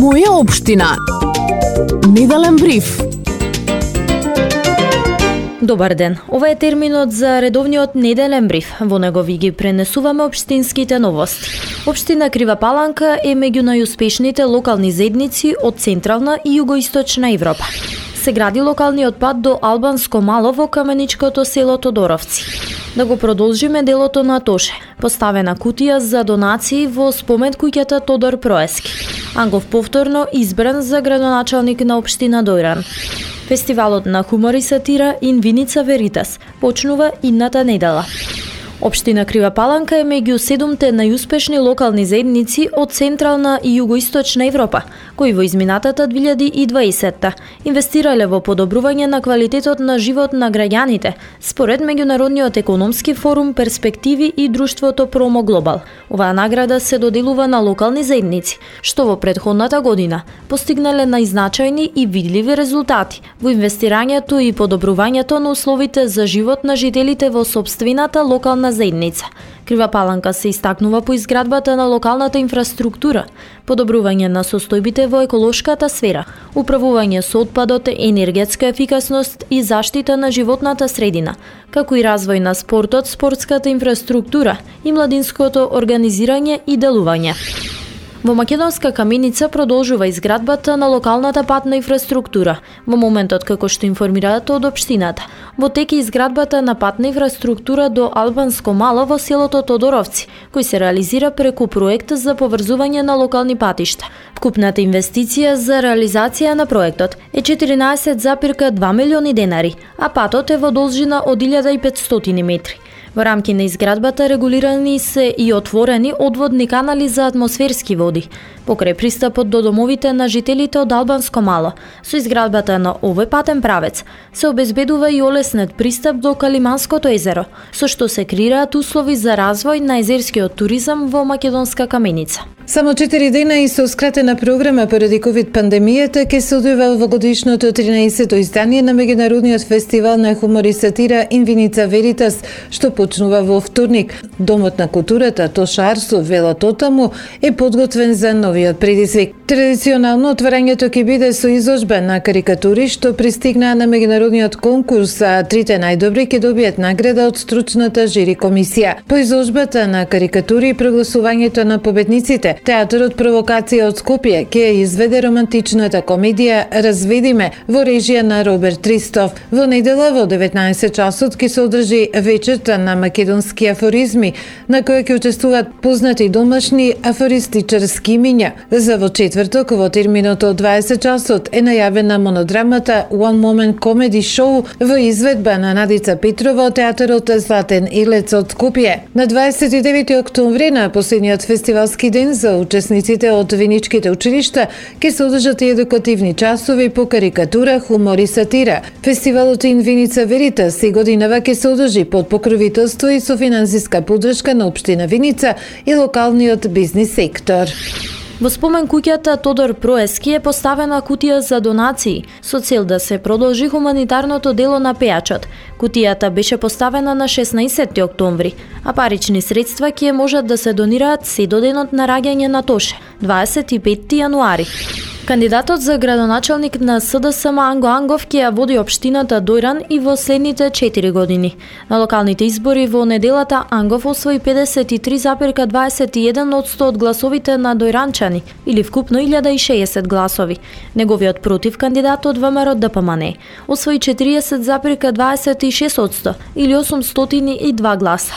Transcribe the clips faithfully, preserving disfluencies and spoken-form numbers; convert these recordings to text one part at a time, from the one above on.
Моја општина. Неделен бриф. Добар ден. Ова е терминот за редовниот неделен бриф. Во него ви ги пренесуваме општинските новости. Општина Крива Паланка е меѓу најуспешните локални заедници од Централна и Југоисточна Европа. Се гради локалниот пат до Албанско Мало во каменичкото село Тодоровци. Да го продолжиме делото на Тоше. Поставена кутија за донации во спомен куќата Тодор Проески. Ангов повторно избран за градоначалник на општина Дојран. Фестивалот на хумор и сатира Ин Виница Веритас почнува идната недела. Општина Крива Паланка е меѓу седумте најуспешни локални заедници од Централна и Југоисточна Европа, кои во изминатата две илјади и дваесетта инвестирале во подобрување на квалитетот на живот на граѓаните, според Меѓународниот економски форум Перспективи и друштвото Промо Глобал. Оваа награда се доделува на локални заедници, што во претходната година постигнале најзначајни и видливи резултати во инвестирањето и подобрувањето на условите за живот на жителите во сопствената локална заедница. Крива Паланка се истакнува по изградбата на локалната инфраструктура, подобрување на состојбите во еколошката сфера, управување со отпадот, енергетска ефикасност и заштита на животната средина, како и развој на спортот, спортската инфраструктура и младинското организирање и делување. Во Македонска каменица продолжува изградбата на локалната патна инфраструктура, во моментот како што информираат од општината. Во тек е изградбата на патна инфраструктура до Албанско Мало во селото Тодоровци, кој се реализира преку проект за поврзување на локални патишта. Вкупната инвестиција за реализација на проектот е четиринаесет зарез два милиони денари, а патот е во должина од илјада и петстотини метри. Во рамки на изградбата регулирани се и отворени одводни канали за атмосферски води, покрај пристапот до домовите на жителите од Албанско Мало. Со изградбата на овој патен правец се обезбедува и олеснет пристап до Калиманското езеро, со што се креираат услови за развој на езерскиот туризам во Македонска каменица. Само четири дена и со скратена програма поради ковид пандемијата ќе се одвива во годишното тринаесетто издание на меѓународниот фестивал на хумор и сатира Ин Виница Веритас, што почнува во вторник. Домот на културата Тошар со вело Тотаму е подготвен за новиот предизвик. Традиционално отворањето ќе биде со изложба на карикатури што пристигнаа на меѓународниот конкурс, а трите најдобри ќе добијат награда од стручната жири комисија. По изложбата на карикатури и прогласувањето на победниците, Театарот Провокација од Скопје ќе изведе романтичната комедија Разведиме во режија на Роберт Ристов. Во недела во деветнаесет часот ќе се одржи вечерта на македонски афоризми, на која ќе учествуваат познати домашни афористичарски имиња. За во четврток во терминот од дваесет часот е најавена монодрамата One Moment Comedy Show во изведба на Надица Петрова од Театарот Златен Илец од Скопје. На дваесет и девети октомври, на последниот фестивалски ден за учесниците од виничките училишта, ќе се одржат и едукативни часови по карикатура, хумор и сатира. Фестивалот Ин Виница Веритас и годинава ќе се одржи под покровителство и со финансиска поддршка на општина Виница и локалниот бизнис сектор. Во спомен куќата Тодор Проески е поставена кутија за донации со цел да се продолжи хуманитарното дело на пејачот. Кутијата беше поставена на шеснаесетти октомври, а парични средства ќе можат да се донираат се до денот на раѓање на Тоше, дваесет и петти јануари. Кандидатот за градоначалник на СДСМ Анго Ангов ќе ја води општината Дојран и во следните четири години. На локалните избори во неделата Ангов освои педесет и три зарез дваесет и еден одсто од гласовите на дојранчани, или вкупно илјада и шеесет гласови. Неговиот против кандидат од ВМРО Д П М Н освои четириесет зарез дваесет и шест одсто, или осумстотини и два гласа.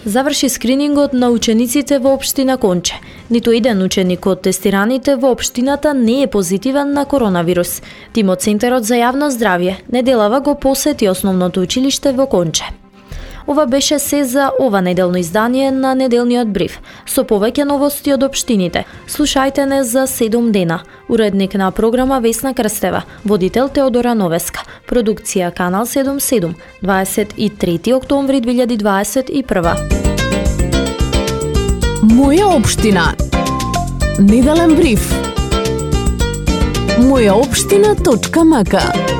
Заврши скринингот на учениците во општина Конче. Ниту еден ученик од тестираните во општината не е позитивен на коронавирус. Тимот Центарот за јавно здравје неделава го посети основното училиште во Конче. Ова беше се за ова неделно издание на неделниот бриф. Со повеќе новости од општините, слушајте не за седум дена. Уредник на програма Весна Крстева, водител Теодора Новеска, продукција Канал седумдесет и седум, дваесет и трети октомври две илјади дваесет и прва. Моја општина. Неделен бриф. моја општина точка м к